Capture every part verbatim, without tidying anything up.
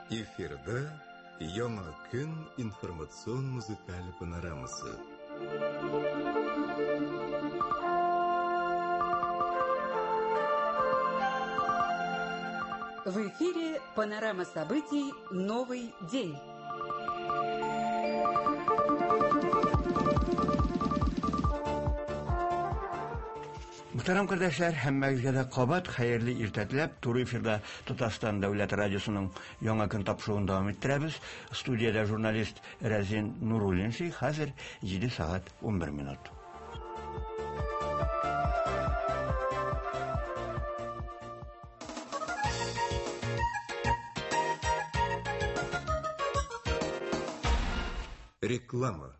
Эфирда Яңа көн информацион музыкаль панорамасы. В эфире панорама событий «Новый день». Мөхтәрәм кардәшләр, һәммәгезгә дә кабат хәерле иртә теләп, туры эфирда Татарстан Дәүләт радиосының Яңа көн тапшыруын дәвам иттерәбез. Студиядә журналист Рәзин Нуруллин, хәзер җиде сәгать унбер минут. Реклама.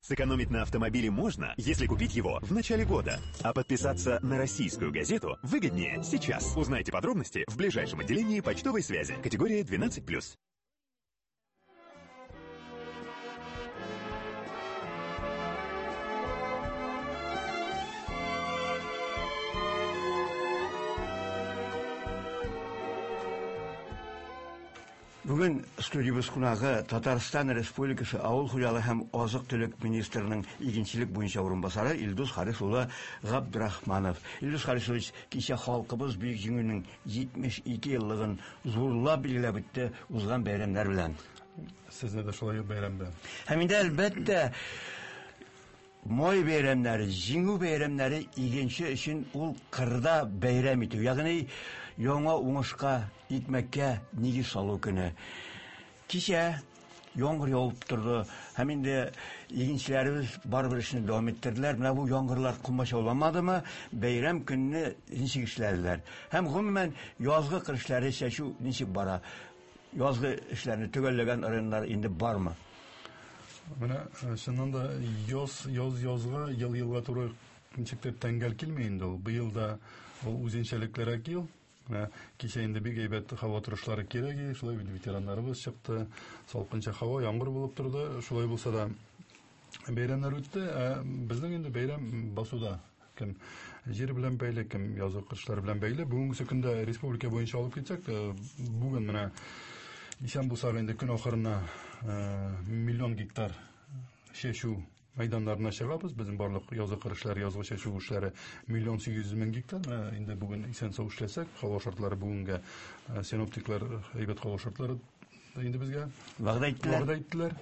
Сэкономить на автомобиле можно, если купить его в начале года. А подписаться на российскую газету выгоднее сейчас. Узнайте подробности в ближайшем отделении почтовой связи. Категория двенадцать плюс. Бүген студиябез кунагы Татарстан Республикасы Авыл хуҗалыгы һәм азык-төлек министрының игенчелек буенча урынбасары Илдус Харис улы Габдрахманов. Илдус Харисович, кичә халкыбыз Бөек Җиңүнең җитмеш ике еллыгын зурлап билгеләп үтте узган бәйрәмнәр белән. Сезне дә шулай ук бәйрәм белән. Һәм инде әлбәттә май бәйрәмнәре, җиңү бәйрәмнәре игенче өчен ул кырда бәйрәм итү, ягъни яңа уңышка, икмәккә нигез салу көне. Кичә яңгыр явып торды, һәм инде игенчеләребез барыбер эшне дәвам иттерделәр. Менә бу яңгырлар комачауламадымы, бәйрәм көнне ничек эшләделәр? Һәм гомумән язгы кыр эшләре чәчү ничек бара? Язгы эшләрне төгәлләгән районнар инде бармы? Менә чыннан да яз, яз язга, ел елга туры ничектер тәңгәл килми инде ул. Быел да ул үзенчәлеклерәк ел. Менә кичә инде бик әйбәт һава торышлары кирәк, шулай бит ветераннарыбыз чыкты. Салкынча һава, яңгыр булып торды. Шулай булса да бәйрәмнәр үтте. Ә безнең инде бәйрәм басуда. Кем җир белән бәйле, кем язгы кышлар белән бәйле. Бүгенге көндә республика буенча алып китсәк, бүген менә исән булсак инде көн ахырына миллион гектар чәчү мәйданнарына чыгабыз. Безнең барлык язгы кыр эшләре, язгы чәчү эшләре миллион сигез йөз мең гектар. Менә инде бүген исән сау эшләсәк, һава шартлары бүгенгә синоптиклар әйбәт һава шартлары инде безгә вәгъдә иттеләр. Вәгъдә иттеләр.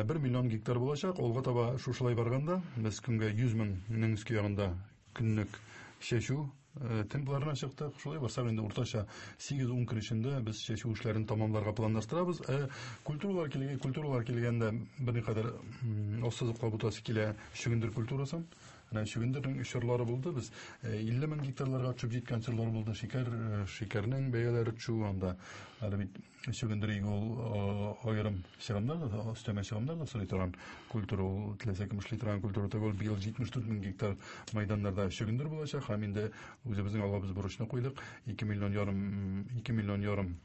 Бер миллион гектар булачак. Алга таба шушылай барганда без көнгә йөз меңнең өске ягында көнлек чәчү темпларына чыктык. Шулай барсак инде уртача сигез-ун көн эчендә без чәчү эшләрен тамамларга планлаштырабыз. Ә культуралар килгән, культуралар килгәндә берникадәр ассызыклап үтәсе килә чөгендер культурасын. Менә чөгендернең чорлары булды. Без илле мең гектарларга төшеп җиткән чорлар булды. Шикәр, шикәрнең бәяләре төшү анда. Әле бит чөгендер игү ул аерым чыгымнар да, өстәмә чыгымнар да сорый торган культура, ул теләсә кем эшли торган культура түгел. Быел җитмеш дүрт мең гектар мәйданнарда чөгендер булачак. Һәм инде үзебезнең алга без бурычны куйдык. Ике миллион ярым, ике миллион ярым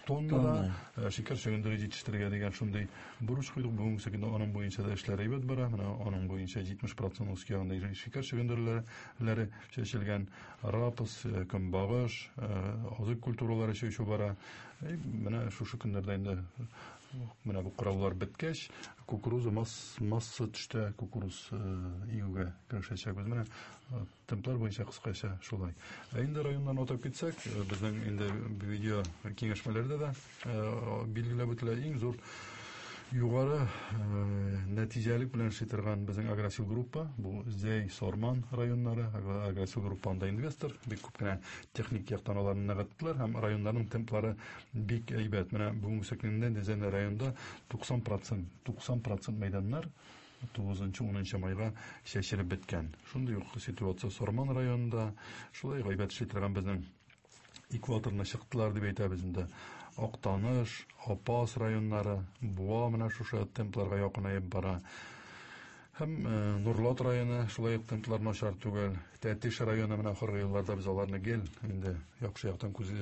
тоннада шикәр чөгендере җитештерергә дигән шундый бурыч куйдык. Бүгенге көндә аның буенча да эшләр әйбәт бара. Менә аның буенча җитмеш процент үскән ягында шикәр чөгендерләре чәчелгән, рапс, көнбагыш, азык культуралары чәчү бара. Менә шушы көннәрдә инде менә бу кыраулар беткәч, кукуруза масса төштә кукуруз игүгә керешәчәкбез. Менә темплар буенча кыскача шулай. Ә инде районнан атап китсәк, безнең инде видео киңәшмәләрдә дә билгеләп үтелә иң зур югары нәтиҗәлек белән эшли торган безнең Агросил группа, бу Зәй, Сарман районнары, Агросил группа анда инвестор, бик күп кенә техник яктан аларны ныгыттылар һәм районнарның темплары бик әйбәт. Менә бүгенге көндә Зәй районында туксан процент, туксан процент мәйданнар тугызынчы, унынчы майга чәчелеп беткән. Шундый ук ситуация Сарман районында, шулай әйбәт эшли торган безнең экваторына чыктылар дип әйтәбез инде. Актаныш, Апас районнары, Буа менә шушы темпларга якынаеп бара. Һәм Нурлат районы шулай ук темплар начар түгел. Тәтеш районы менә ахыргы елларда без аларны гел инде яхшы яктан күз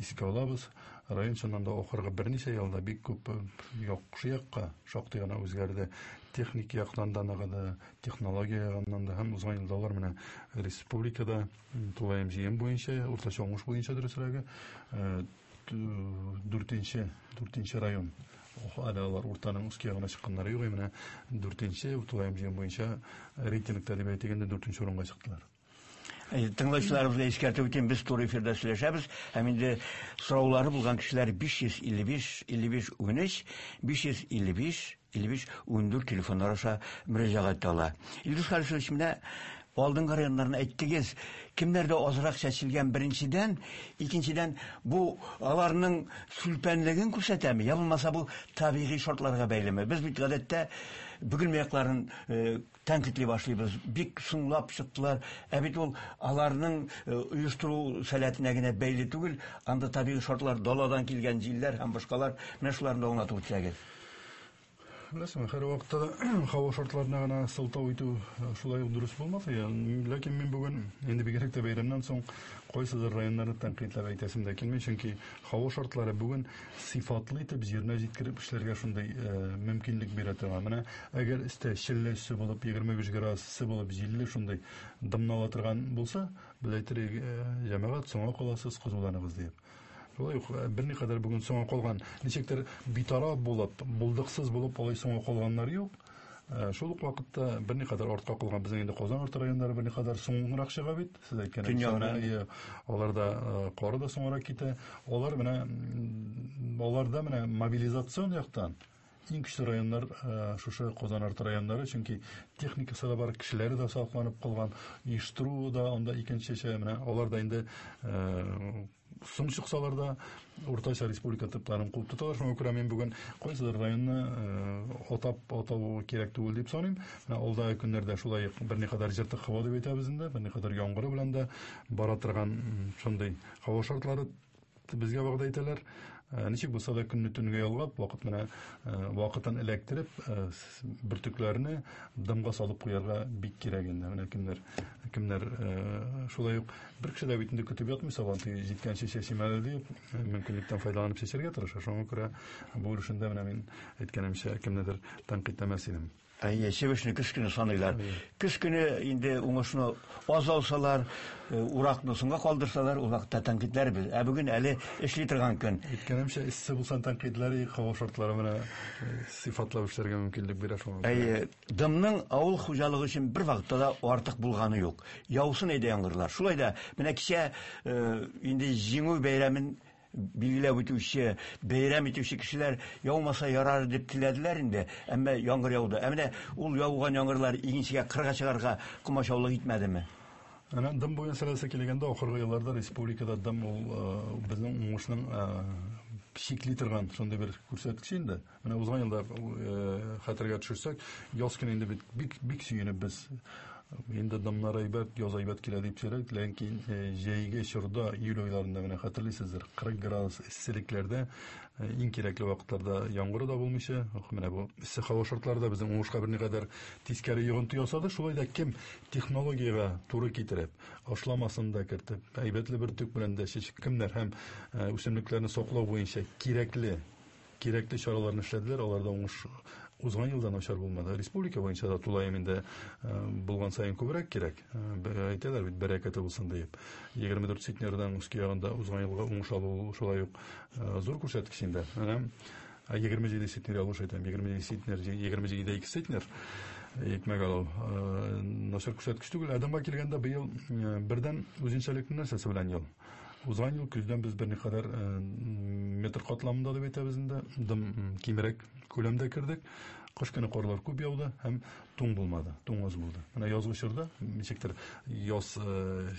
искә алабыз. Район чыннан да ахыргы берничә елда бик күп яхшы якка шактый гына үзгәрде. Техник яктан да ныгыды, технология ягыннан да һәм узган елда алар менә республикада тулаем җыем буенча, уртача уңыш буенча дөресрәге, дүртенче, дүртенче район. Әле алар уртаның өске ягына чыкканнары юк, менә дүртенче тулаем җыем буенча рейтингта дип әйтик инде дүртенче урынга чыктылар. Тыңлаучыларыбызга искәртеп үтәм, без туры эфирда сөйләшәбез. Һәм инде сораулары булган кешеләр биш йөз илле биш, илле биш, унөч, биш йөз илле биш, илле биш, ундүрт телефоннар аша мөрәҗәгать итә ала. Илдус Харисович, менә алдынгы районнарны әйттегез, кемнәрдә азрак чәчелгән беренчедән, икенчедән бу аларның сүлпәнлеген күрсәтәме, я булмаса бу табигый шартларга бәйлеме? Без бит гадәттә Бөгелмә якларын, э, тәнкыйтьли башлыйбыз, бик соңлап чыктылар. Ә бит ул аларның, э, оештыру сәләтенә генә бәйле түгел, анда табигый шартлар, даладан килгән җилләр һәм башкалар, менә шуларны да аңлатып үтсәгез. Беләсеңме, һәр вакытта да һава шартларына гына сылтау итү шулай ук дөрес булмас. Ләкин мин бүген инде бигрәк тә бәйрәмнән соң кайсыдыр районнарны тәнкыйтьләп әйтәсем дә килми, чөнки һава шартлары бүген сыйфатлы итеп җиренә җиткереп эшләргә шундый, э, мөмкинлек бирә торган. Менә әгәр өстә челле эссе булып, егерме биш градус эссе булып, җилле шундый дымнала торган булса, без әйтер идек, э, җәмәгать, соңга каласыз, кызуланыгыз диеп. Шулай ук, э, берникадәр бүген соңга калган, ничектер битараф булып, булдыксыз булып алай соңга калганнар юк. Э, шул ук вакытта берникадәр артка калган безнең инде Казан арты районнары берникадәр соңрак чыга бит. Сез әйткән Дөньяны. кебек, аларда, э, кары да соңрак китә. Алар менә, м, аларда менә мобилизацион яктан иң көчле районнар, э, шушы Казан арты районнары, чөнки техникасы да бар, кешеләре дә сакланып калган, оештыру да анда икенчечә, менә алар да инде, э, соң чыксалар да уртача республика типларын куып тоталар. Шуңа күрә мин бүген кайсыдыр районны, э, атап атау кирәк түгел дип саныйм. Менә алдагы көннәрдә шулай ук берникадәр җыртык һава дип әйтәбез инде, берникадәр яңгыры белән дә бара торган, м, шундый һава шартлары безгә вәгъдә итәләр. Э, ничек булса да көнне төнгә ялгап, вакыт менә, э, вакытын эләктереп, э, с-, бөртекләрне дымга салып куярга бик кирәк инде. Менә кемнәр, кемнәр, э, шулай ук бер кеше дә бит инде көтеп ятмый, сабан туе җиткәнче чәчим әле дип, э, мөмкинлектән файдаланып чәчәргә тырыша. Шуңа күрә бу өлешендә менә мин әйткәнемчә кемнедер тәнкыйтьләмәс идем. Әйе, чебешне көз көне саныйлар. Әйе. Көз көне инде уңышны аз алсалар, э, уракны соңга калдырсалар, ул вакытта тәнкыйтьләрбез. Ә бүген әле эшли торган көн. Әйткәнемчә, эссе булса тәнкыйтьләр, һава шартлары менә, э, сыйфатлап эшләргә мөмкинлек бирә шуңа күрә. Әйе, дымның авыл хуҗалыгы өчен бер вакытта да артык булганы юк. Яусын әйдә яңгырлар. Шулай да менә кичә, э, инде Җиңү бәйрәмен билгеләп үтүче, бәйрәм итүче кешеләр яумаса ярар дип теләделәр инде, әмма яңгыр яуды. Ә менә ул яуган яңгырлар игенчегә кырга чыгарга комачаулык итмәдеме? Әнә дым буенча мәсьәләсе килгәндә, ахыргы елларда республикада дым ул, э, безнең уңышның, э, чикли торган шундый бер күрсәткеч инде. Менә узган елда, э, хәтергә төшерсәк, яз көне инде бит бик, бик сөенеп без инде дымнар әйбәт, яз әйбәт килә дип сөйләдек, ләкин, э, җәйге чорда, июль айларында менә хәтерлисездер, кырык градус эсселекләрдә, э, иң кирәкле вакытларда яңгыры да булмыйча, менә бу эссе һава шартлары да безнең уңышка берникадәр тискәре йогынты ясады. Шулай да кем технологиягә туры китереп, ашламасын да кертеп, әйбәтле бөртек белән дә чәчеп, кемнәр һәм, э, үсемлекләрне саклау буенча кирәкле, кирәкле чараларны эшләделәр, аларда уңыш узган елда начар булмады. Республика буенча да тулаем инде, э, булган саен күбрәк кирәк. Э, бер-, әйтәләр бит, бәрәкәте булсын диеп. Егерме дүрт центнердан өске ягында узган елга уңыш алу шулай ук, э, зур күрсәткеч инде. Менә, ә, егерме җиде центнер ялгыш әйтәм, егерме җиде центнер, егерме җиде ике центнер икмәк алу, э, начар күрсәткеч түгел. Адымга килгәндә быел, э, бердән үзенчәлекле нәрсәсе белән ел. Узган ел көздән без берникадәр, э, метр катламында дип әйтәбез инде, дым, м, кимрәк күләмдә кердек. Кыш көне карлар күп яуды һәм туң булмады, туң аз булды. Менә язгы чорда ничектер яз, э,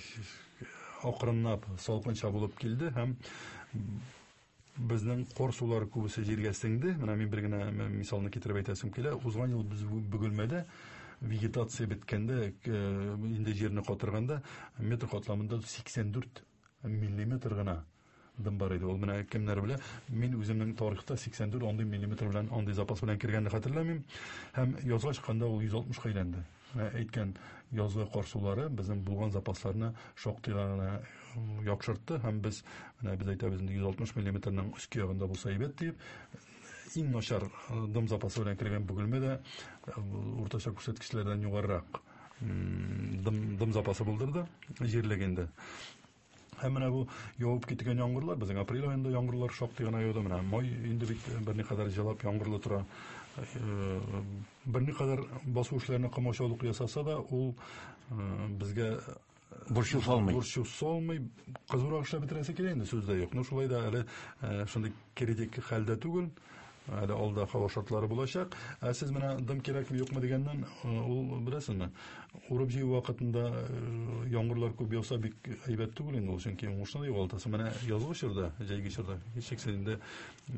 акрынлап салкынча булып килде һәм безнең кар сулары күбесе җиргә сеңде. Менә мин бер генә мисалны китереп әйтәсем килә. Узган ел без Бөгелмәдә вегетация беткәндә, э, инде җирне катырганда метр катламында сиксән дүрт миллиметр гына дым бар иде. Ул менә кемнәр белә, мин үземнең тарихта сиксән дүрт андый миллиметр белән, андый запас белән кергәнне хәтерләмим. Һәм язга чыкканда ул йөз алтмышка әйләнде. Менә әйткән язгы кар сулары безнең булган запасларны шактый гына яхшыртты һәм без, менә без әйтәбез инде йөз алтмыш миллиметрның өске ягында булса әйбәт дип, иң начар дым запасы белән кергән Бөгелмә дә уртача күрсәткечләрдән югарырак дым, дым запасы булдырды җирлегендә. Һәм менә бу явып киткән яңгырлар, безнең апрель аенда яңгырлар шактый гына яуды. Менә май инде бит берникадәр җылап яңгырлы тора. Берникадәр басу эшләренә комачаулык ясаса да, ул безгә борчу салмый. Борчу салмый, кызурак эшләп бетерәсе килә инде, сүз дә юк. Но шулай да әле шундый критик хәлдә түгел. Әле алда һава шартлары булачак. Ә сез менә дым кирәкме юкмы дигәннән, ул беләсезме, урып җыю вакытында яңгырлар күп яуса бик әйбәт түгел инде ул, чөнки уңышны да югалтасың. Менә язгы чорда, җәйге чорда һичшиксез инде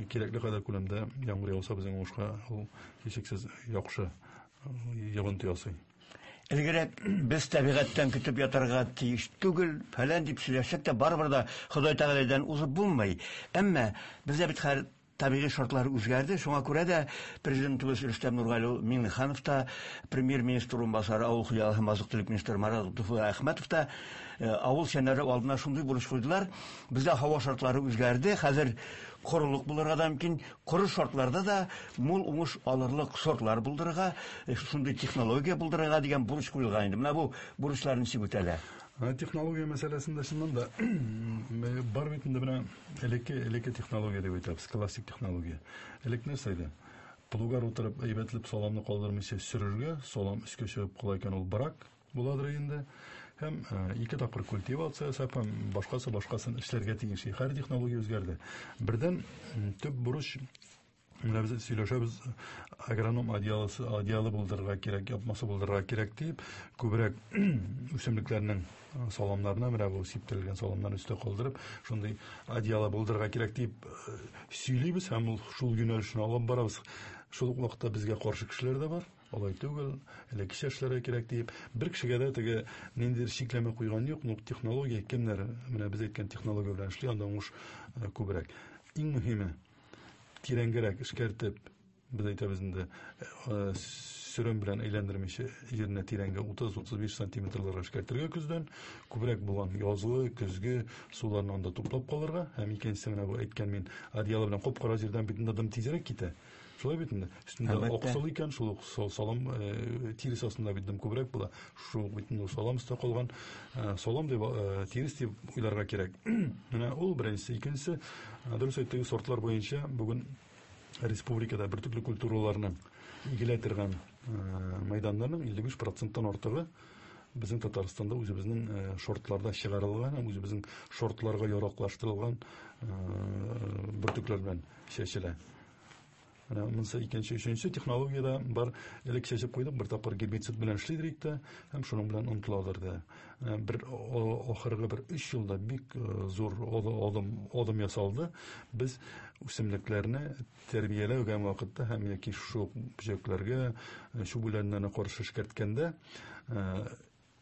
кирәкле кадәр күләмдә яңгыр яуса безнең уңышка ул һичшиксез яхшы йогынты ясый. Элгерәк без табигатьтән көтеп ятарга тиеш түгел, фәлән дип сөйләшсәк тә, барыбер дә Ходай Тәгаләдән узып булмый. Әмма бездә бит хәзер табигый шартлар үзгәрде. Шуңа күрә дә президентыбыз Рөстәм Нургали Миңнеханов та, премьер-министр урынбасары, авыл хуҗалыгы һәм азык-төлек министры Марат Әхмәтов та авыл шәһәрләре алдына шундый бурыч куйдылар. Бездә һава шартлары үзгәрде. Хәзер корылык булырга да мөмкин. Коры шартларда да мул уңыш алырлык сортлар булдырырга, шундый технология булдырырга дигән бурыч куелган инде. Менә бу бурычлар ничек үтәлә? Технология мәсьәләсендә чыннан да бар бит инде менә элекке элекке технология дип әйтәбез, классик технология. Элек нәрсә иде? Плугар утырып әйбәтләп саламны калдырмыйча сөрергә, салам өскә чыгып кала икән, ул брак буладыр инде. Һәм ике тапкыр культивация ясап, һәм башкасы башкасын эшләргә тиеш. Һәр технология үзгәрде. Бердән төп бурыч, менә без сөйләшәбез, агроном одеялы одеялы булдырырга кирәк, япмасы булдырырга кирәк дип, күбрәк үсемлекләрнең саламнарына, менә бу сиптерелгән саламнарны өстә калдырып, шундый одеялы булдырырга кирәк дип сөйлибез һәм ул шул юнәлешне алып барабыз. Шул ук вакытта безгә каршы кешеләр дә бар. Алай түгел, элеккечә эшләргә кирәк дип, бер кешегә дә теге ниндидер чикләмә куйган юк, но технология кемнәр, менә без әйткән технология белән эшли, анда уңыш күбрәк. Иң мөһиме, тирәнгәрәк эшкәртеп, без әйтәбез инде, сөрем белән әйләндермичә җирне тирәнгә утыз утыз биш сантиметрларга эшкәртергә көздән, күбрәк булган язлы, көзге суларны анда туплап калырга, һәм икенчесе менә бу әйткән мин одеялы белән кап-кара җирдән бит инде дым тизрәк китә. Шулай бит инде. Өстендә аксыл икән, шул ук салам тирес астында бит дым күбрәк була. Шул бит инде салам өстә калган салам дип тирес дип уйларга кирәк. Менә ул беренчесе, икенчесе, дөрес әйттегез, сортлар буенча бүген республикада бөртекле культураларны игелә торган мәйданнарның илле биш проценттан артыгы безнең Татарстанда үзебезнең шортларда чыгарылган һәм үзебезнең шортларга яраклаштырылган бөртекләр белән чәчелә. Менә монысы икенче, өченче технологиядә бар. Элек чәчеп куйдык, бер тапкыр гербицид белән эшлидек тә, һәм шуның белән онытыладыр да. Бер ахыргы бер өч елда бик зур адым, адым ясалды. Без үсемлекләрне тәрбияләгән вакытта һәм яки шул бөҗәкләргә, чүп үләннәренә каршы эшкәрткәндә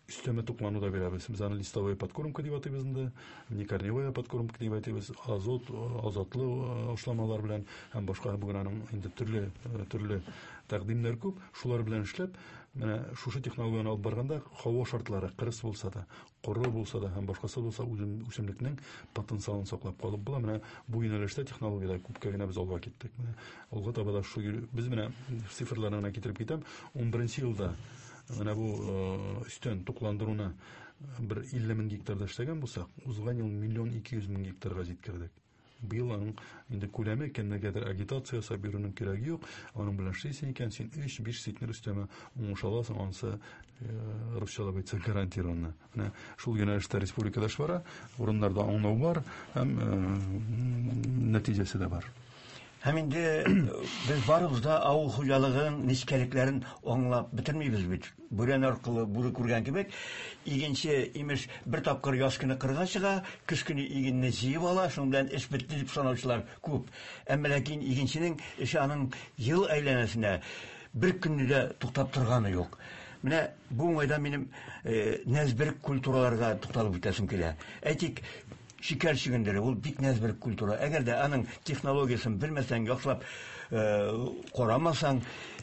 өстәмә туклану да бирәбез. Без аны листовая подкормка дип атыйбыз инде, не корневая подкормка дип атыйбыз, азот, азотлы ашламалар белән һәм башка бүген аның инде төрле, төрле тәкъдимнәр күп. Шулар белән эшләп, менә шушы технологияне алып барганда һава шартлары кырыс булса да, коры булса да һәм башкасы булса, үсемлекнең потенциалын саклап калып була. Менә бу юнәлештә технологиядә күпкә генә без алга киттек. Менә алга таба да шу без менә цифрларны гына китереп китәм. ун беренче елда менә бу өстән тукландыруны бер илле мең гектарда эшләгән булсак, узган ел миллион ике йөз мең гектарга җиткердек. Быел аның инде күләме кемнәргәдер агитация ясап йөрүнең кирәге юк. Аның белән эшлисең икән, син өч биш центнер өстәмә уңыш аласың, анысы русчалап әйтсәк гарантированно. Менә шул юнәлештә республикада эш бара, урыннарда аңлау бар һәм нәтиҗәсе дә бар. Һәм инде без барыбыз да авыл хуҗалыгының нечкәлекләрен аңлап бетермибез бит. Бүрән аркылы бүре күргән кебек, игенче имеш бер тапкыр яз көне кырга чыга, көз көне игенне җыеп ала, шуның белән эш бетте дип санаучылар күп. Әмма ләкин игенченең эше аның ел әйләнәсенә бер көнне дә туктап торганы юк. Менә бу уңайдан минем нәзберек культураларга тукталып үтәсем килә. Әйтик, шикәр чөгендере, ул бик нәзберек культура. Әгәр дә аның технологиясын белмәсәң, яхшылап карамасаң,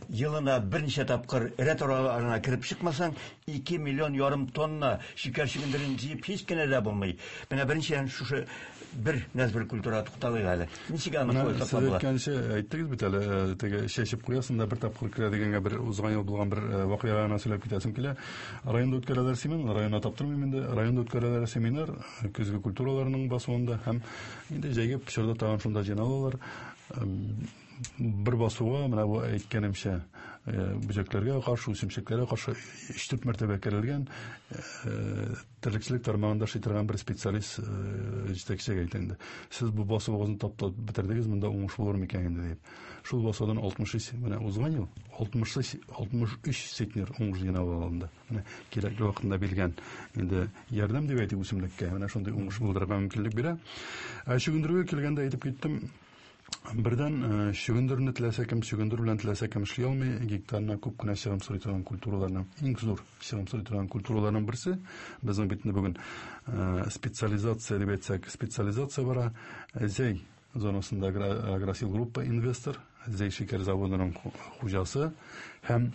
елына берничә тапкыр рәт араларына кереп чыкмасаң, ике миллион ярым тонна шикәр чөгендерен җыеп һич кенә дә булмый. Менә беренчедән шушы Бер нәзбер культура тукталыйк әле. Ничек аны шулай саклап була? Сез әйткәнчә әйттегез бит әле, теге чәчеп куясың да бер тапкыр керә дигәнгә бер узган ел булган бер вакыйга гына сөйләп китәсем килә. Районда үткәрәләр семинар, районда таптырмыйм инде. Районда үткәрәләр семинар көзге культураларының басуында һәм инде җәйге чорда тагын шунда җыйналалар. Бер басуга менә бу әйткәнемчә бөҗәкләргә каршы, үсемлекләргә каршы өч-дүрт мәртәбә керелгән терлекчелек тармагында эшли торган бер специалист җитәкчегә әйтә инде. Сез бу басуыгызны таптап бетердегез, монда уңыш булыр микән инде дип. Шул басудан алтмыш өч, менә узган ел алтмыш өч, алтмыш өч центнер уңыш җыйнап алынды. Менә кирәкле вакытында бирелгән инде ярдәм дип әйтик үсемлеккә, менә шундый уңыш булдырырга мөмкинлек бирә. Ә чөгендергә килгәндә әйтеп киттем. Бердән чөгендерне теләсә кем, чөгендер белән теләсә кем эшли алмый. Гектарына күп кенә чыгым сорый торган культураларның, иң зур чыгым сорый торган культураларның берсе. Безнең бит инде бүген специализация дип әйтсәк, специализация бара. Зәй зонасында Агросил группа инвестор, Зәй шикәр заводының хуҗасы һәм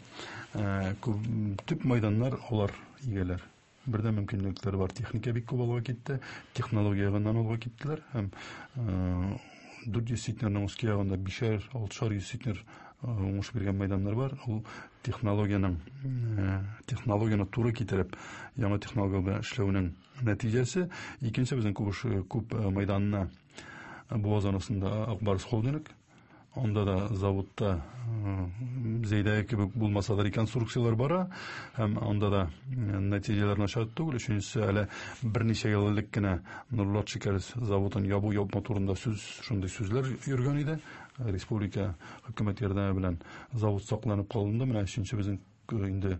төп мәйданнар алар ияләр. Бердән мөмкинлекләр бар, техника бик күп алга китте, технология ягыннан алга киттеләр һәм дүрт йөз центнерның өске ягында бишәр, алтышар йөз центнер уңыш биргән мәйданнар бар. Ул технологиянең, технологияне туры китереп, яңа технология белән эшләүнең нәтиҗәсе. Икенче безнең күп, күп мәйданны Буа зонасында Акбарс холдинг. Анда да заводта Зәйдәге кебек булмаса да реконструкцияләр бара һәм анда да нәтиҗәләр начар түгел. Өченчесе, әле берничә ел элек кенә Нурлат шикәр заводын ябу ябма турында сүз, шундый сүзләр йөргән иде. Республика хөкүмәт ярдәме белән завод сакланып калынды. Менә өченче безнең инде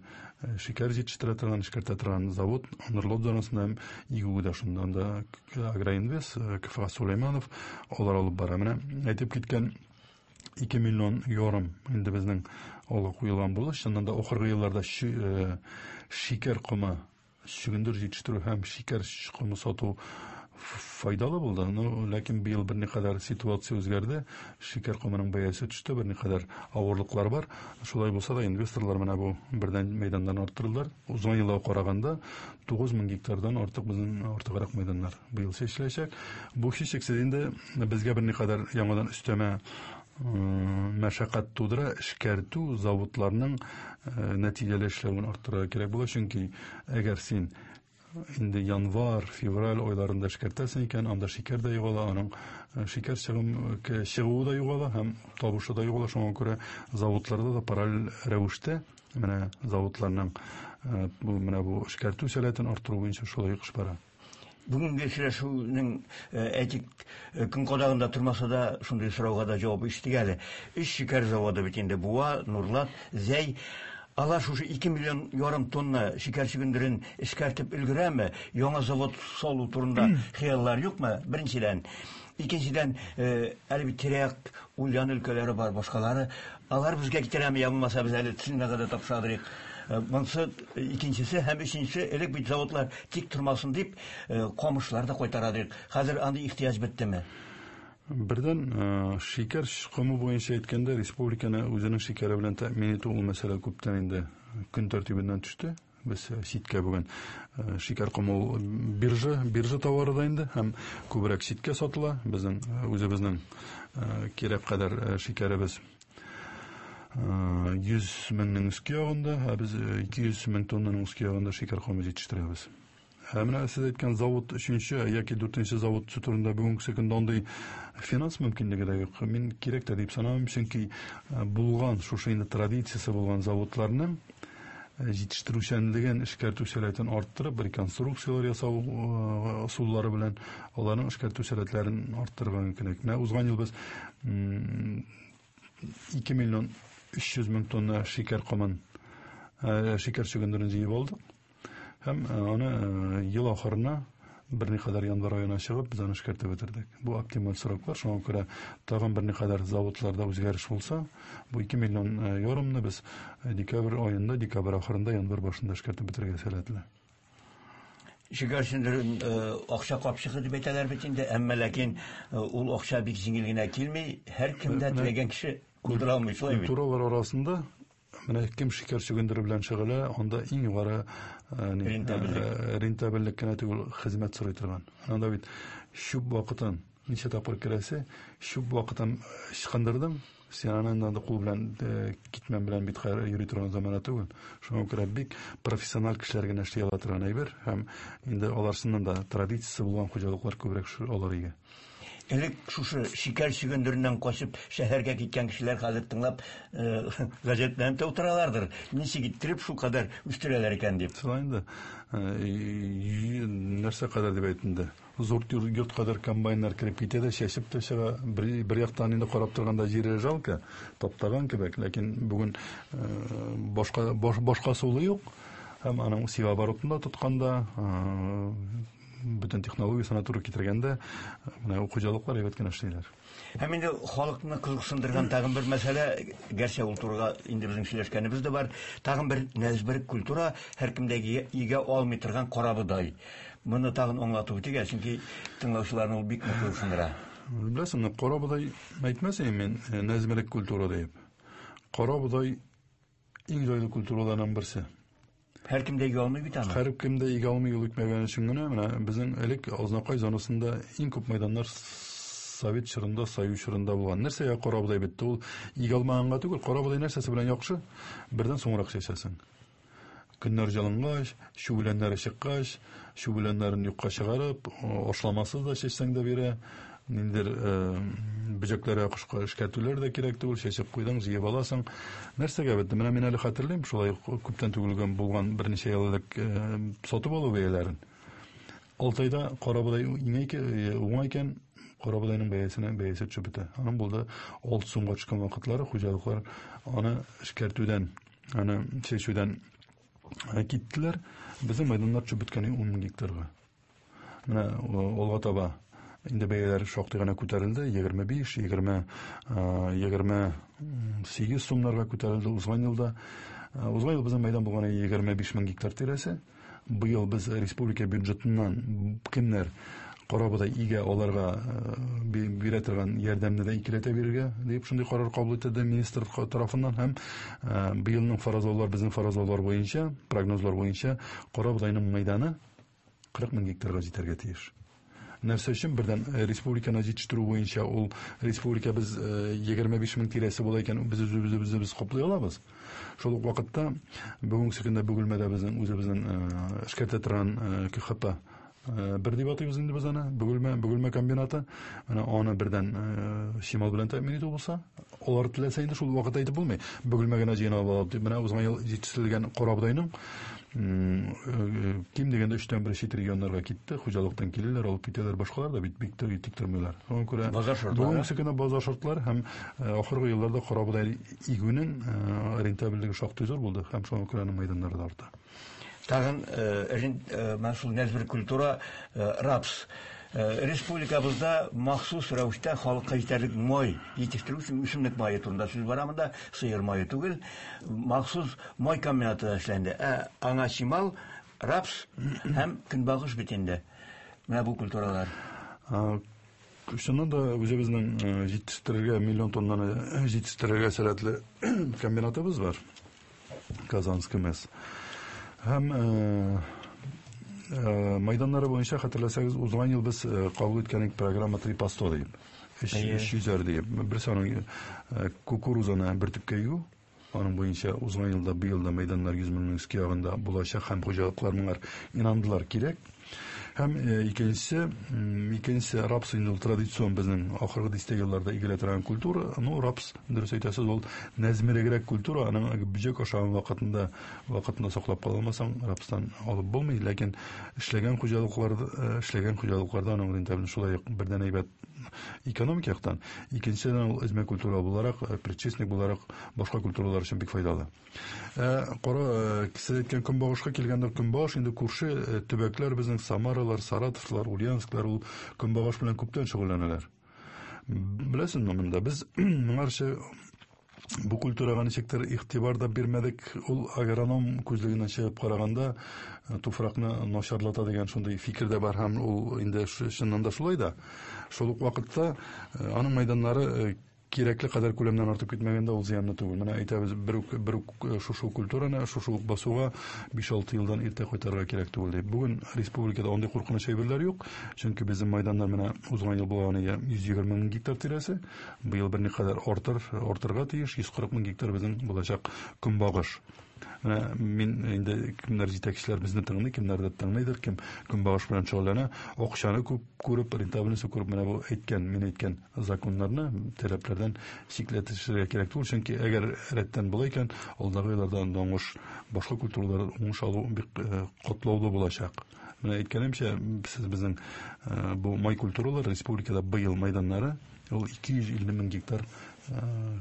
шикәр җитештерә торган, эшкәртә торган завод Нурлат зонасында һәм игү дә шунда. Анда Агроинвест, Кфа Сулейманов алар алып бара. Менә әйтеп киткән ике миллион ярым инде безнең алга куелган булды. Чыннан да ахыргы елларда шикәр комы, чөгендер җитештерү һәм шикәр комы сату файдалы булды. Но ләкин быел берникадәр ситуация үзгәрде. Шикәр комының бәясе төште, берникадәр авырлыклар бар. Шулай булса да инвесторлар менә бу бердән мәйданнан арттырдылар. Узган елга караганда тугыз мең гектардан артык безнең артыграк мәйданнар быел чәчеләчәк. Бу һичшиксез инде безгә берникадәр яңадан өстәмә мәшәкать тудыра, эшкәртү заводларының нәтиҗәле эшләвен арттырырга кирәк була. Чөнки әгәр син инде январь, февраль айларында эшкәртәсең икән, анда шикәр дә югала, аның шикәр чыгым, чыгуы да югала һәм табышы да югала. Шуңа күрә заводларда да параллель рәвештә менә заводларның бу менә бу эшкәртү сәләтен арттыру буенча шулай эш бара. Бүгенге сөйләшүнең әйтик көн кадагында тормаса да шундый сорауга да җавап ишеттек әле. Өч шикәр заводы бит инде Буа, Нурлат, Зәй. Алар шушы ике миллион ярым тонна шикәр чөгендерен эшкәртеп өлгерәме? Яңа завод салу турында хыяллар юкмы? Беренчедән. Икенчедән, әле бит тирә-як Ульян өлкәләре бар, башкалары. Алар безгә китерәме, я булмаса без әле Циннага да тапшырдык. Монсы икенчесе һәм өченчесе, элек бит заводлар тик тормасын дип, камышлар да кайтарадык. Хәзер андый ихтыяҗ беттеме? Бердән, шикәр комы буенча әйткәндә, республиканы үзенең шикәре белән тәэмин итү ул мәсьәлә күптән инде көн тәртибеннән төште. Без читкә бүген шикәр комы ул биржа, биржа товары да инде һәм күбрәк читкә сатыла. Безнең үзебезнең кирәк кадәр шикәребез йөз меңнең өске ягында, ә без ике йөз мең тоннаның өске ягында шикәр комы җитештерәбез. Ә менә сез әйткән завод өченче яки дүртенче завод төзү турында бүгенге көндә андый финанс мөмкинлеге дә юк. Мин кирәк тә дип санамыйм, чөнки булган шушы инде традициясе булган заводларның җитештерүчәнлеген, эшкәртү сәләтен арттырып, реконструкцияләр ясау ысуллары белән аларның эшкәртү сәләтләрен арттырырга мөмкин. Менә узган ел без ике миллион өч йөз мең тонна шикәр комын, шикәр чөгендерен җыеп алдык. Һәм аны ел ахырына берникадәр январь аена чыгып без аны эшкәртеп бетердек. Бу оптималь сроклар, шуңа күрә тагын берникадәр заводларда үзгәреш булса, бу ике миллион ярымны без декабрь аенда, декабрь ахырында, январь башында эшкәртеп бетерергә сәләтле. Шикәр чөгендерен акча капчыгы дип әйтәләр бит инде, әмма ләкин ул акча бик җиңел генә килми, һәркем дә теләгән кеше булдыра алмый, шулай бит. Культуралар арасында менә кем шикәр чөгендере белән шөгыльләнә, анда иң югары Рентабельлек кенә түгел, хезмәт сорый торган. Анда бит чүп вакытын ничә тапкыр керәсе, чүп вакытын ычкындырдың, син аны инде кул белән, китмән белән бит йөри торган замана түгел. Шуңа күрә бик профессиональ кешеләр генә эшли ала торган әйбер, һәм инде алар чыннан да традициясе булган хуҗалыклар күбрәк алар игә. Элек шушы шикәр чөгендереннән качып шәһәргә киткән кешеләр хәзер тыңлап гаҗәпләнеп тә утыралардыр. Ничек иттереп шул кадәр үстерәләр икән дип. Шулай инде. Нәрсә кадәр дип әйттем инде. Зур йорт кадәр комбайннар кереп китә дә, чәчеп тә чыга. Бер яктан инде карап торганда җире жалко, таптаган кебек, ләкин бүген башка башка сулы юк. Һәм аның севооборотында тотканда, бөтен технологиясенә туры китергәндә, менә ул хуҗалыклар әйбәт кенә эшлиләр. Һәм инде халыкны кызыксындырган тагын бер мәсьәлә, гәрчә ул турыга инде безнең сөйләшкәнебез дә бар, тагын бер нәзбер культура, һәркем дә игә алмый торган карабодай. Моны тагын аңлатып үтик, чөнки тыңлаучыларны ул бик нык кызыксындыра. Беләсеңме, карабодай әйтмәс идем мин нәзберек культура дип. Карабодай иң җайлы культураларның берсе. Һәркем дә игә алмый бит аны. Һәркем дә игә алмый ул икмәгән өчен генә, менә безнең элек Азнакай зонасында иң күп мәйданнар Совет чорында, Союз чорында булган. Нәрсәгә карабодай бетте? Ул игә алмаганга түгел, карабодай нәрсәсе белән яхшы? Бердән соңрак чәчәсең. Көннәр җылынгач, чү үләннәре чыккач, чү үләннәрен юкка чыгарып, ашламасыз да чәчсәң дә бирә. Ниндидер бөҗәкләргә кышка эшкәртүләр дә кирәк түгел, чәчеп куйдың, җыеп аласың. Нәрсәгә бетте? Менә мин әле хәтерлим, шулай күптән түгел булган берничә ел элек сатып алу бәяләрен. Алты айда карабодай уңай икән, карабодайның бәясенә бәясе төшеп бетә. Аның булды алты сумга төшкән вакытлары, хуҗалыклар аны эшкәртүдән, аны чәчүдән киттеләр. Безнең мәйданнар төшеп беткән ун мең гектарга. Менә алга таба инде бәяләр шактый гына күтәрелде, егерме биш, егерме, егерме сигез сумнарга күтәрелде узган елда. Узган ел безнең мәйдан булган егерме биш мең гектар тирәсе. Быел без республика бюджетыннан кемнәр карабодай игә аларга бирә торган ярдәмне дә икеләтә бирергә дип шундый карар кабул ителде министр тарафыннан, һәм быелның фаразлаулар, безнең фаразлаулар буенча, прогнозлар буенча карабодайның мәйданы кырык мең гектарга җитәргә тиеш. Нәрсә өчен? Бердән республиканы җитештерү буенча ул республика без егерме биш мең тирәсе була икән, без үзебезне үзебез каплый алабыз. Шул ук вакытта бүгенге көндә Бөгелмәдә безнең үзебезнең эшкәртә торган К Х П бер дип атыйбыз инде без аны, Бөгелмә, Бөгелмә комбинаты. Менә аны бердән чимал белән тәэмин итү булса, алар теләсә инде шул вакытта әйтеп булмый. Бөгелмә генә җыйнап алып дип, менә узган ел җитештерелгән карабодайның ким дигәндә өчтән бер чит регионнарга китте, хуҗалыктан киләләр, алып китәләр, башкалар да бит бик тә тик тормыйлар. Шуңа күрә базар шартлары, бүгенге көндә базар шартлары һәм ахыргы елларда карабодай игүнең рентабельлеге шактый зур булды һәм шуңа күрә аның мәйданнары да арта. Тагын менә шул нәзбер культура рапс. Республикабызда махсус рәвештә халыкка җитәрлек май җитештерү өчен үсемлек мае турында сүз бара монда, сыер мае түгел. Махсус май комбинаты эшләнде. Ә аңа чимал, рапс һәм көнбагыш бит инде. Менә бу культуралар. Чыннан да үзебезнең җитештерергә миллион тоннаны җитештерергә сәләтле комбинатыбыз бар. Казанский МЭС. Һәм майданнары буенча хәтерләсәгез, узган ел без кабул иткән программа три по сто дип, өч йөзәр дип. Берсе аның кукурузаны бер төпкә игү, аның буенча узган елда, быел да майданнар йөз меңнең өске ягында булачак һәм хуҗалыклар моңар инандылар кирәк. Һәм икенчесе, икенчесе рапс инде ул традицион безнең ахыргы дистә елларда игелә торган культура. Ну, рапс, дөрес әйтәсез, ул нәзмерегрәк культура, аның бөҗәк ашаган вакытында, вакытында саклап кала алмасаң, рапстан алып булмый, ләкин эшләгән хуҗалыкларда, эшләгән хуҗалыкларда аның рентабельлеге шулай ук бердән әйбәт экономик яктан, икенчедән ул эзмә культура буларак, предшественник буларак башка культуралар өчен бик файдалы. Кара, сез әйткән көнбагышка килгәндә, көнбагыш инде күрше төбәкләр безнең Самаралар, Саратовлар, Ульяновсклар ул көнбагыш белән күптән шөгыльләнәләр. Беләсеңме, монда без моңарчы бу культурага ничектер игътибар да бирмәдек. Ул агроном күзлегеннән чыгып караганда туфракны начарлата дигән шундый фикер дә бар һәм ул инде чыннан да шулай да. Шул ук вакытта аның мәйданнары Кирәкле кадәр күләмнән артып китмәгәндә ул зыянлы түгел. Менә әйтәбез, бер үк, бер үк шушы культураны, шушы ук басуга биш-алты елдан иртә кайтарырга кирәк түгел дип. Бүген республикада андый куркыныч әйберләр юк, чөнки безнең майданнар менә узган ел булган йөз егерме мең гектар тирәсе, быел берникадәр артыр, артырга тиеш, йөз кырык мең гектар безнең булачак көнбагыш. Менә мин инде кемнәр җитәкчеләр безне тыңлый, кемнәр дә тыңлыйдыр, кем көнбагыш белән шөгыльләнә, акчаны күп күреп, рентабельностьны күреп, менә бу әйткән, мин әйткән законнарны, таләпләрдән чикләтешергә кирәк түгел, чөнки әгәр рәттән була икән, алдагы елларда анда уңыш, башка культуралар уңыш алу бик, э, катлаулы булачак. Менә әйткәнемчә, сез безнең, э, бу май культуралар республикада быел майданнары ул ике йөз илле мең гектар, э,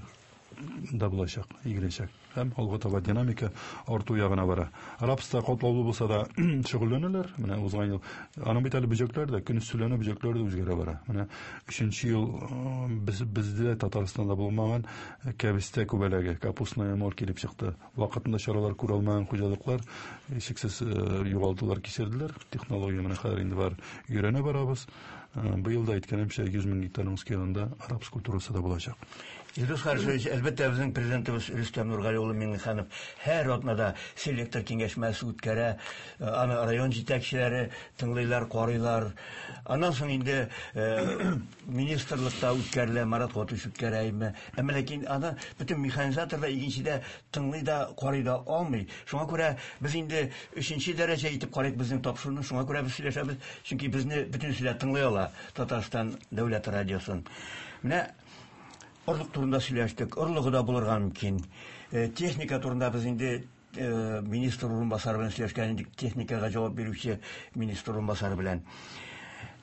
да булачак, игеләчәк. Һәм алга таба динамика арту ягына бара. Рапста катлаулы булса да шөгыльләнәләр. Менә узган ел аның бит әле бөҗәкләр дә, көн өстеләнә бөҗәкләр дә үзгәрә бара. Менә өченче ел, э, без, бездә Татарстанда булмаган кәбестә күбәләге, капустная моль килеп чыкты. Вакытында чаралар күрә алмаган хуҗалыклар шиксез, э, югалтулар кичерделәр. Технология менә хәзер инде бар, өйрәнә барабыз. Э, быел да әйткәнемчә, йөз мең гектарның өскә рапс культурасы да булачак. Илдус Харисович, әлбәттә, безнең президентыбыз Рөстәм Нургали улы Миңнеханов һәр атнада селектор киңәшмәсе үткәрә, аны район җитәкчеләре тыңлыйлар, карыйлар. Аннан соң инде, э, министрлыкта үткәрелә, Марат Гатуш үткәрә име. Әмма ләкин аны бөтен механизатор да, игенче дә тыңлый да, карый да алмый. Шуңа күрә без инде өченче дәрәҗә итеп карыйк безнең тапшыруны, шуңа күрә без сөйләшәбез, чөнки безне бөтенесе дә тыңлый ала Татарстан дәүләт радиосын. Менә орлык турында сөйләштек, орлыгы да булырга мөмкин. Э, техника турында без инде, э, министр урынбасары белән сөйләшкән идек, техникага җавап бирүче министр урынбасары белән.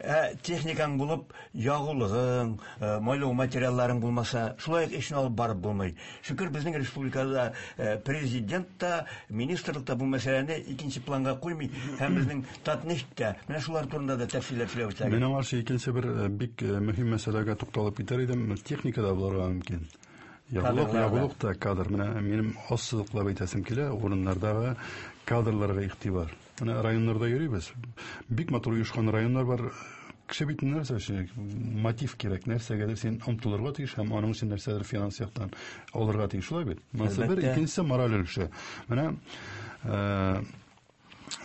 Ә, техникаң булып, ягулыгың, э, майлау материалларың булмаса, шулай ук эшне алып барып булмый. Шөкер, безнең республикада, э, президент та, министрлык та бу мәсьәләне икенче планга куймый, һәм безнең Татнефть тә. Менә шулар турында да тәфсилләп сөйләп үтсәгез. Мин аңарчы икенче бер, э, бик, э, мөһим мәсьәләгә тукталып китәр идем. Техника да булырга мөмкин. Ягулык, Кадрлар да. ягулык та кадр. Менә минем ассызыклап әйтәсем килә, урыннардагы кадрларга игътибар. Менә районнарда йөрибез. Бик матур оешкан районнар бар. Кеше бит нәрсә өчен мотив кирәк, нәрсәгәдер син омтылырга тиеш һәм аның өчен нәрсәдер финанс яктан алырга тиеш, шулай бит? Монысы бер, Әлбәттә. икенчесе мораль өлеше. Менә, э,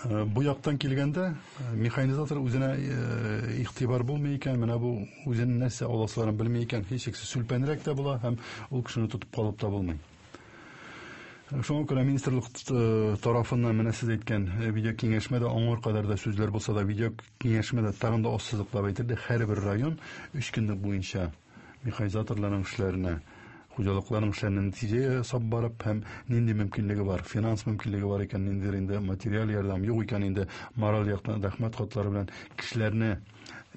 э, бу яктан килгәндә, э, механизатор үзенә, э, игътибар булмый икән, менә бу үзенең нәрсә аласыларын белми икән, һичшиксез сүлпәнрәк тә була һәм ул кешене тотып калып та булмый. Шуңа күрә министрлык, э, тарафыннан менә сез әйткән, э, видео киңәшмәдә аңар кадәр дә сүзләр булса да, видео киңәшмәдә тагын да ассызыклап әйтелде, һәрбер район өч көнлек буенча механизаторларның эшләренә, хуҗалыкларның эшләренә нәтиҗә ясап барып һәм нинди мөмкинлеге бар, финанс мөмкинлеге бар икән, ниндидер инде материаль ярдәм юк икән, инде мораль яктан рәхмәт хатлары белән кешеләрне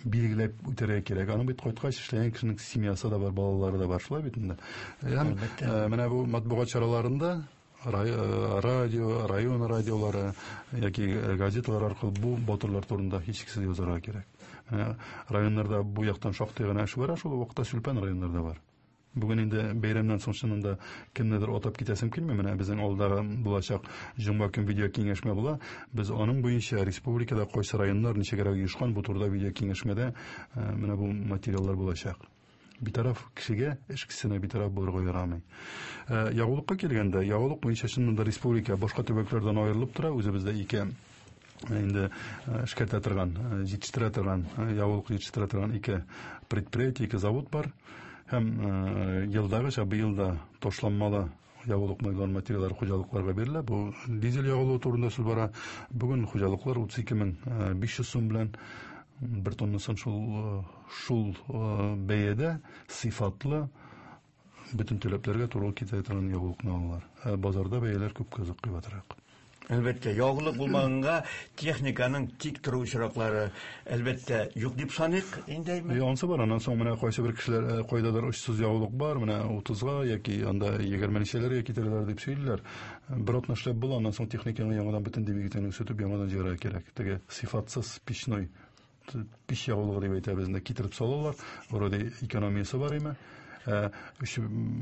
билгеләп үтәргә кирәк. Аның бит кайткач эшләгән кешенең семьясы да бар, балалары да бар, шулай бит инде. Һәм, Әлбәттә. э, менә бу матбугат чараларында рай-, э, радио, район радиолары яки газеталар аркылы бу батырлар турында һичшиксез язарга кирәк. Менә районнарда бу яктан шактый гына эш бара, шул вакытта сүлпән районнарда бар. Бүген инде бәйрәмнән соң чыннан да кемнедер атап китәсем килми. Менә безнең алдагы булачак җомга көн видео киңәшмә була. Без аның буенча республикада кайсы районнар ничегрәк оешкан, бу турыда видео киңәшмәдә, э, менә бу материаллар булачак. Битараф кешегә, эш кешесенә битараф булырга ярамый. Э, ягулыкка килгәндә, ягулык буенча чыннан да республика башка төбәкләрдән аерылып тора. Үзебездә ике инде, э, эшкәртә торган, э, җитештерә торган, э, ягулык җитештерә торган ике предприятие, ике завод бар. Һәм, э, елдагыча быел да ташланмалы ягулык майлар материаллары хуҗалыкларга бирелә. Бу дизель ягулыгы турында сүз бара. Бүген хуҗалыклар утыз ике мең, э, биш йөз сум белән бер тоннасын шул, э, шул, э, бәядә сыйфатлы бөтен таләпләргә туры килә торган ягулыкны алалар. Ә базарда бәяләр күпкә кыйбатрак. Әлбәттә, ягулык булмаганга техниканың тик тору очраклары әлбәттә юк дип саныйк инде. Е, ансы бар, аннан соң менә кайсы бер кешеләр, э, кайдадыр очсыз ягулык бар, менә утызга яки анда егерме ничәләргә китерәләр дип сөйлиләр. Бер атна эшләп була, аннан соң техниканы яңадан бөтен двигательне сүтеп яңадан җыярга кирәк. Теге сыйфатсыз печной пич ягулыгы дип әйтәбез, инде китереп салалар. Вроде экономиясе бар име. Э,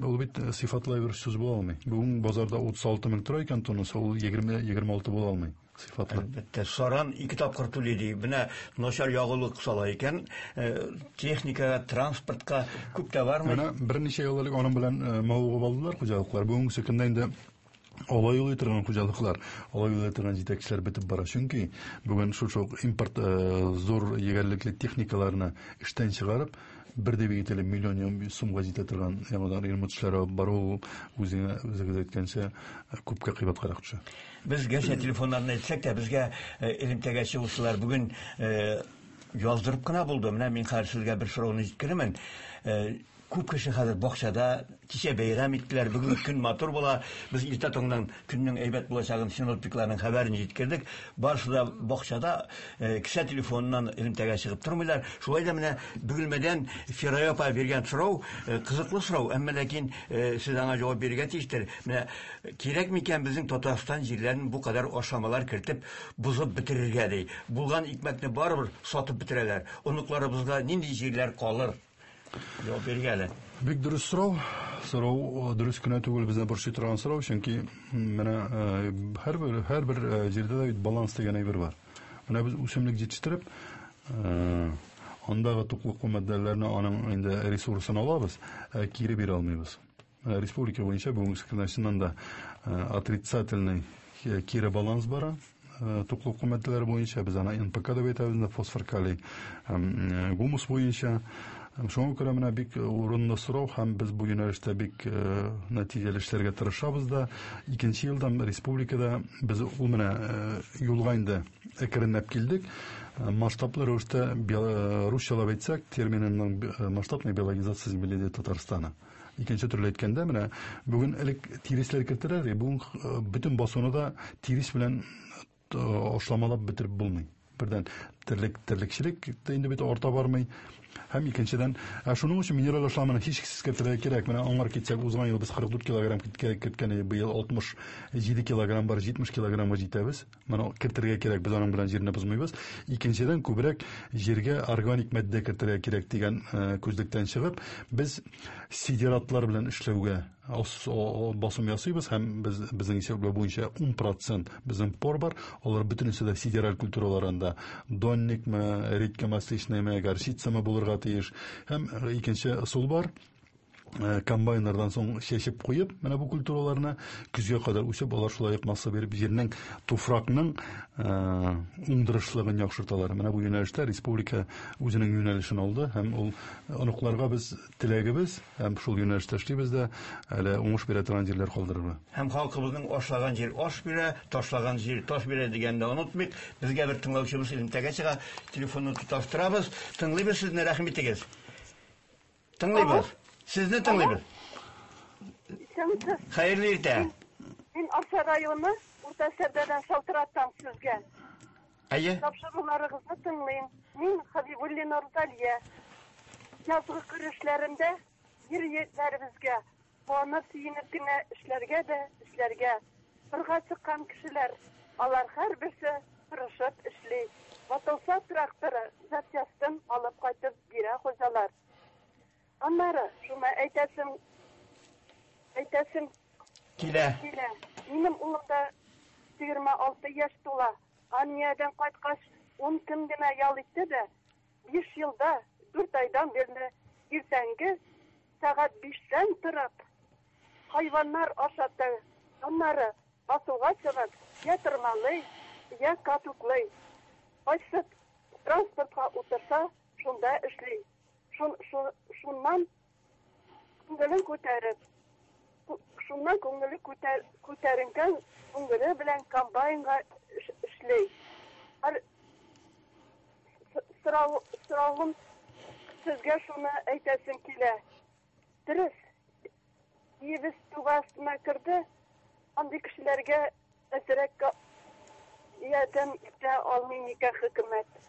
ул бит сыйфатлы бер сүз була алмый. Бүген базарда утыз алты мең тора икән тоннасы, ул егерме, егерме алты була алмый. Сыйфатлы. Әлбәттә, саран ике тапкыр түли ди. Менә начар ягулык сала икән, техникага, транспортка күп тә бармый. Менә берничә ел элек аның белән мавыгып алдылар хуҗалыклар. Бүгенге көндә инде алай юлый торган хуҗалыклар, алай юлый торган җитәкчеләр бетеп бара. Чөнки бүген шушы ук импорт зур егәрлекле техникаларны эштән чыгарып, бер дә бигетеле миллион сумга җитә торган яңадан ремонт эшләре алып бару үзеңә, үзегез әйткәнчә, күпкә кыйбаткарак төшә. Без гәрчә телефоннарны әйтсәк тә, безгә элемтәгә чыгучылар бүген яздырып кына булды. Менә мин хәзер сезгә бер сорауны җиткерермен. Күп кеше хәзер бакчада, кичә бәйрәм иттеләр, бүген көн матур була. Без иртә таңнан көннең әйбәт булачагын синоптикларның хәбәрен җиткердек. Барысы да бакчада, кесә телефоныннан элемтәгә чыгып тормыйлар. Шулай да менә Бөгелмәдән Фирая апа биргән сорау, кызыклы сорау, әмма ләкин сез аңа җавап бирергә тиештер. Менә кирәк микән безнең Татарстан җирләрен бу кадәр ашамалар кертеп бозып бетерергә ди. Булган икмәкне барыбер сатып бетерәләр. Оныкларыбызга нинди җирләр калыр? Җавап биргә әле. Бик дөрес сорау. Сорау дөрес кенә түгел, безне борчый торган сорау, чөнки менә һәрбер, һәрбер җирдә дә бит баланс дигән әйбер бар. Менә без үсемлек җитештереп, андагы туклыклы матдәләрне, аның инде ресурсын алабыз, кире бирә алмыйбыз. Менә республика буенча бүгенге көндә чыннан да отрицательный кире баланс бара. Туклыклы матдәләр буенча без аны эн пэ ка дип әйтәбез, фосфор, калий, гумус буенча. Шуңа күрә менә бик урынлы сорау, һәм без бу юнәлештә бик нәтиҗәле эшләргә тырышабыз да. Икенче елдан республикада без ул менә юлга инде әкренләп килдек. Масштаблы рәвештә, русчалап әйтсәк, терминының масштабная биологизация земледелия Татарстана. Икенче төрле әйткәндә, менә бүген элек тиресләр кертеләр, бүген бөтен басуны да тирес белән ашламалап бетереп булмый. Бердән терлек, терлекчелек тә инде бит арта бармый. Һәм икенчедән, ә шуның өчен минераль ашламаны һичшиксез кертергә кирәк. Менә аңар китсәк, узган ел без кырык дүрт килограмм керткән идек, быел алтмыш җиде килограмм бар, җитмеш килограммга җитәбез. Моны кертергә кирәк, без аның белән җирне бозмыйбыз. Икенчедән, күбрәк җиргә органик матдә кертергә кирәк дигән, э, күзлектән чыгып, без сидератлар белән эшләүгә басым ясыйбыз, һәм без, безнең исәпләү буенча ун процент безнең пор бар, алар бөтенесе дә сидераль культураларында, донникмы, редька масличныймы, горчицамы булырга тиеш. Һәм икенче ысул бар, э, комбайннардан соң чәчеп куеп, менә бу культураларны көзгә кадәр үсеп, алар шулай ук масса биреп, җирнең, туфракның, э, уңдырышлыгын яхшырталар. Менә бу юнәлештә республика үзенең юнәлешен алды, һәм ул оныкларга без теләгебез, һәм шул юнәлештә эшлибез дә, әле уңыш бирә торган җирләр калдырырга. Һәм халкыбызның ашлаган җир аш бирә, ташлаган җир таш бирә дигәнне онытмыйк. Безгә бер тыңлаучыбыз элемтәгә чыга, телефонны тоташтырабыз. Тыңлыйбыз сезне, рәхим итегез. Тыңлыйбыз. Сезне тыңлыйбыз. Исәнмесез. Хәерле иртә. Мин Арча районы Урта Сәрдәдән шалтыратам сезгә. Әйе. Тапшыруларыгызны тыңлыйм. Мин Хабибуллина Рузалия. Язгы кыр эшләрендә ир егетләребезгә куанып сөенеп кенә эшләргә дә эшләргә. Кырга чыккан кешеләр, алар һәрберсе тырышып эшли. Ватылса тракторы запчастын алып кайтып бирә хуҗалар. Аннары шуны әйтәсем, әйтәсем килә. Килә. Минем улым да егерме алты яшь тула. Армиядән кайткач ун көн генә ял итте дә, биш елда дүрт айдан бирле иртәнге сәгать биштән торып хайваннар ашатты. Аннары басуга чыгып, я тырмалый, я катуклый. Кайсы транспортка утырса, шунда эшли. Шун, шун, шуннан күңелен күтәреп, шуннан күңеле күтәр, күтәренгән күңеле белән комбайнга эш-, эшли. Һәр сорау, соравым сезгә шуны әйтәсем килә. Дөрес, өебез туга астына керде, андый кешеләргә әзрәк ярдәм итә алмый микән хөкүмәт?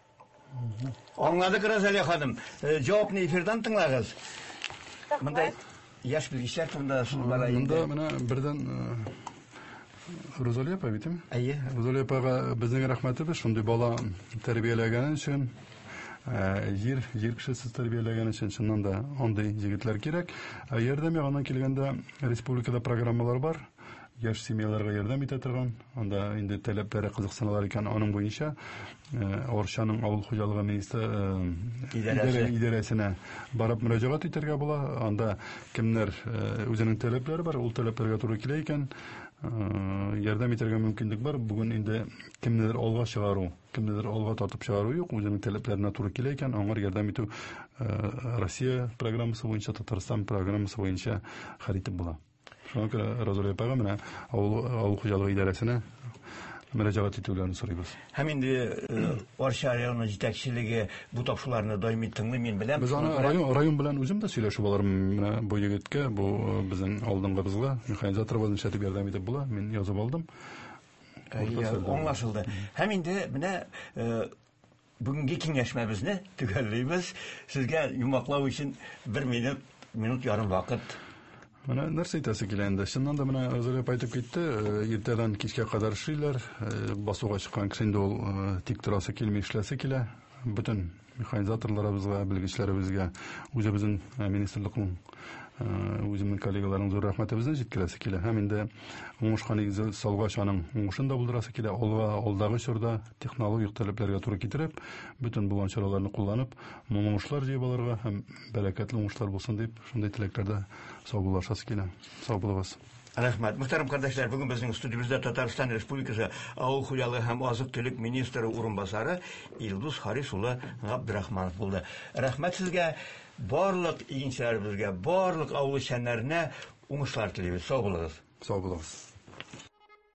Аңладык, Розалия ханым. Э, җавапны эфирдан тыңлагыз. Рәхмәт. Монда яшь белгечләр турында сүз бара инде. Монда менә бердән, э, Розалия апа бит, әйме? Әйе. Розалия апага безнең рәхмәтебез, шундый бала тәрбияләгән өчен, э, җир, җир кешесе тәрбияләгән өчен чыннан да андый егетләр кирәк. Ә ярдәм ягыннан килгәндә республикада программалар бар. Яшь семьяларга ярдәм итә торган, анда инде таләпләре кызыксыналар икән, аның буенча Арчаның авыл хуҗалыгы министры идарәсенә барып мөрәҗәгать итәргә була. Анда кемнәр үзенең таләпләре бар, ул таләпләргә туры килә икән, ярдәм итәргә мөмкинлек бар. Бүген инде кемнедер алга чыгару, кемнедер алга тартып чыгару юк, үзенең таләпләренә туры килә икән, аңар ярдәм итү Россия программасы буенча, Татарстан программасы буенча хәл итеп була. Шуңа күрә Розалия апага менә авыл, авыл хуҗалыгы идарәсенә мөрәҗәгать итүләрен сорыйбыз. Һәм инде Арча районы җитәкчелеге бу тапшыруларны даими тыңлый, мин беләм. Без аны район, район белән үзем дә сөйләшеп алырмын. Менә бу егеткә, бу безнең алдынгыбызга, механизаторыбыз нишләтеп ярдәм итеп була, мин язып алдым. Аңлашылды. Һәм инде менә бүгенге киңәшмәбезне төгәллибез. Сезгә йомгаклау өчен бер минут, минут ярым вакыт. Менә нәрсә әйтәсе килә инде. Чыннан да менә Розалия апа әйтеп китте, иртәдән кичкә кадәр эшлиләр, басуга чыккан кеше инде ул тик торасы килми, эшләсе килә. Бөтен механизаторларыбызга, белгечләребезгә, үзебезнең министрлыкның, үземнең коллегаларының зур рәхмәтебезне җиткерәсе килә. Һәм инде уңышка нигез салгач, аның уңышын да булдырасы килә. Алга, алдагы чорда технологик таләпләргә туры китереп, бөтен булган чараларны кулланып, мул уңышлар җыеп алырга һәм бәрәкәтле уңышлар булсын дип, шундый теләкләрдә саубуллашасы килә. Сау булыгыз. Рәхмәт. Мөхтәрәм кардәшләр, бүген безнең студиябездә Татарстан Республикасы Авыл хуҗалыгы һәм азык-төлек министры урынбасары Илдус Харис улы Габдрахманов булды. Рәхмәт сезгә, барлык игенчеләребезгә, барлык авыл эшчәннәренә уңышлар телибез. Сау булыгыз. Сау булыгыз.